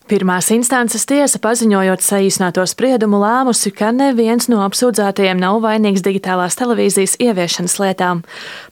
Pirmās instances tiesa, paziņojot saīsināto spriedumu, lēmusi, ka neviens no apsūdzētajiem nav vainīgs digitālās televīzijas ieviešanas lietām.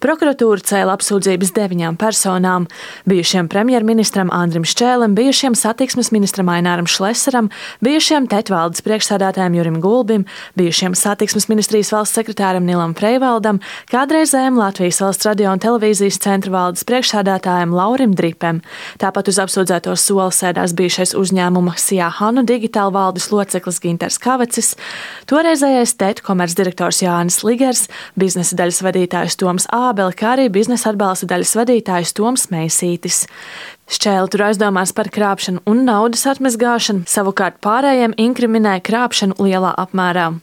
Prokuratūra cēla apsūdzības 9 personām - bijušiem premjerministram Andrim Šķēlim, bijušiem satiksmes ministram Aināram Šlesaram, bijušiem TET valdes priekšsēdētājiem Jurim Gulbim, bijušiem satiksmes ministrijas valsts sekretāram Nilam Freivaldam, kādreizējiem Latvijas valsts radio un televīzijas centra valdes priekšsēdētājiem Laurim Dripem. Tāpat uz apsūdzēto soli sēdās bijušais uzņēmuma Sijā Hanu digitāla valdes loceklis Ginters Kavecis, toreizējais TET komercdirektors Jānis Ligers, biznesa daļas vadītājs Toms Ābele, kā arī biznesa atbalsta daļas vadītājs Toms Meisītis. Šķēli tur aizdomās par krāpšanu un naudas atmazgāšanu, savukārt pārējiem inkriminēja krāpšanu lielā apmērā.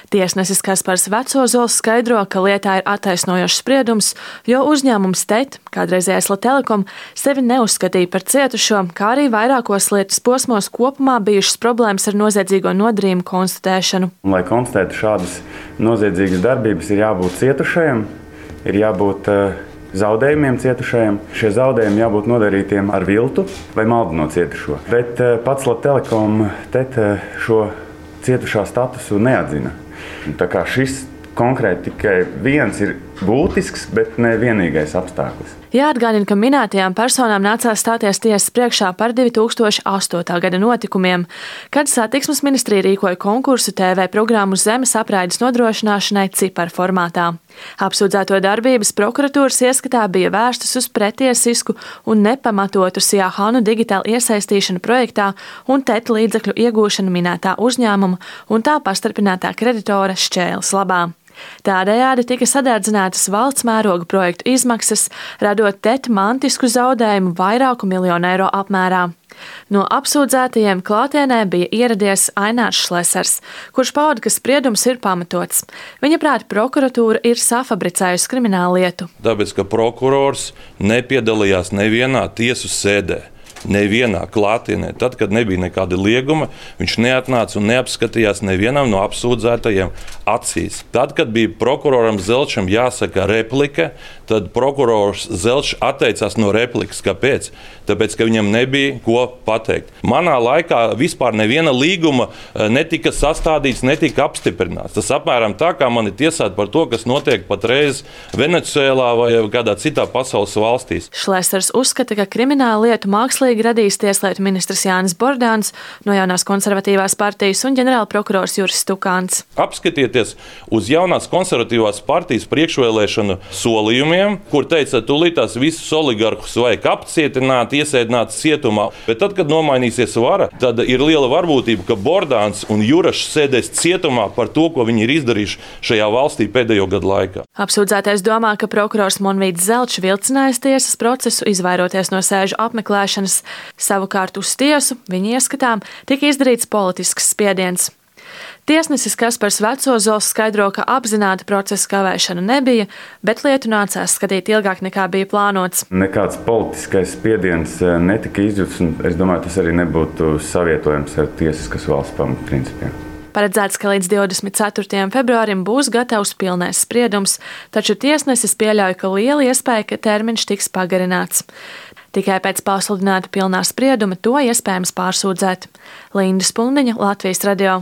Tiesnesis Kaspars Vecozols skaidro, ka lietā ir attaisnojošs spriedums, jo uzņēmums TET, kādreizējais Latelekom, sevi neuzskatīja par cietušo, kā arī vairākos lietas posmos kopumā bijušas problēmas ar noziedzīgo nodarījumu konstatēšanu. Lai konstatētu šādas noziedzīgas darbības, ir jābūt cietušajam, ir jābūt zaudējumiem cietušajiem. Šie zaudējumi jābūt nodarītiem ar viltu vai maldinot cietušo. Bet pats Latelekom TET šo cietušā statusu neatzina. Tā kā šis konkrēti tikai viens ir būtisks, bet ne vienīgais apstākļus. Jāatgādina, ka minētajām personām nācās stāties tiesas priekšā par 2008. gada notikumiem, kad satiksmes ministrija rīkoja konkursu TV programmu zemes apraides nodrošināšanai ciparu formātā. Apsūdzēto darbības prokuratūras ieskatā bija vērstas uz pretiesisku un nepamatotu Sijā Hanu digitālu iesaistīšanu projektā un TET līdzekļu iegūšanu minētā uzņēmuma un tā pastarpinātā kreditora Šķēles labā. Tādējādi tika sadārdzinātas valsts mēroga projektu izmaksas, radot TET mantisku zaudējumu vairāku miljonu eiro apmērā. No apsūdzētajiem klātienē bija ieradies Ainārs Šlesars, kurš pauda, ka spriedums ir pamatots. Viņa prāt, prokuratūra ir safabricējusi kriminālu lietu. Tāpēc, ka prokurors nepiedalījās nevienā tiesu sēdē. Nevienā klātienē, tad, kad nebija nekāda lieguma, viņš neatnāca un neapskatījās nevienam no apsūdzētajiem acīs. Tad, kad bija prokuroram Zelčam jāsaka replika, tad prokurors Zelčs atteicās no replikas. Kāpēc? Tāpēc, ka viņam nebija ko pateikt. Manā laikā vispār neviena līguma netika sastādīts, netika apstiprināts. Tas apmēram tā, kā mani tiesāt par to, kas notiek patreiz Venecuēlā vai kādā citā pasaules valstīs. Šlesars uzskata, ka kriminālu lietu mākslīgi radīs tieslietu ministrs Jānis Bordāns no jaunās konservatīvās partijas un ģenerāla prokurors Juris Stukāns. Apskatieties uz jaunās konservatīvās partijas priekšvēlēšanu solījumiem, kur teica, tūlītās visus oligarhus vajag apcietināt, iesēdināt cietumā. Bet tad, kad nomainīsies vara, tad ir liela varbūtība, ka Bordāns un Jurašs sēdēs cietumā par to, ko viņi ir izdarījuši šajā valstī pēdējo gadu laikā. Apsūdzētais domā, ka prokurors Monvīds Zelčs vilcinājis tiesas procesu, izvairoties no sēžu apmeklēšanas. Savukārt uz tiesu, viņa ieskatām, tika izdarīts politisks spiediens. Tiesnesis Kaspars Vecozols skaidro, ka apzināta procesa kavēšana nebija, bet lietu nācās skatīt ilgāk nekā bija plānots. Nekāds politiskais spiediens netika izjūts, un es domāju, tas arī nebūtu savietojams ar tiesiskas valsts pamatprincipiem. Paredzēts, ka līdz 24. februārim būs gatavs pilnais spriedums, taču tiesnesis pieļauj, ka liela iespēja, ka termiņš tiks pagarināts. Tikai pēc pasludināta pilnā sprieduma to iespējams pārsūdzēt. Linda Spundiņa, Latvijas radio.